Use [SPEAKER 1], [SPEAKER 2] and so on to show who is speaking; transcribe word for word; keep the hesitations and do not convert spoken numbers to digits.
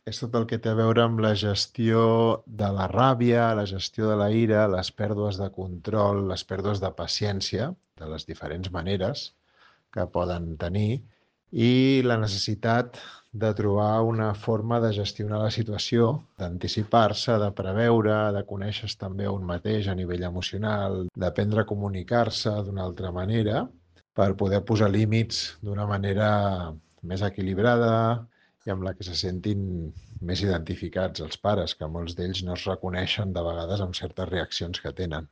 [SPEAKER 1] És tot el que té a veure amb la gestió de la ràbia, la gestió de la ira, les pèrdues de control, les pèrdues de paciència, de les diferents maneres que poden tenir, i la necessitat de trobar una forma de gestionar la situació, d'anticipar-se, de preveure, de conèixer-se també a un mateix a nivell emocional, d'aprendre a comunicar-se d'una altra manera per poder posar límits d'una manera més equilibrada i amb la que se sentin més identificats els pares, que molts d'ells no es reconeixen de vegades amb certes reaccions que tenen.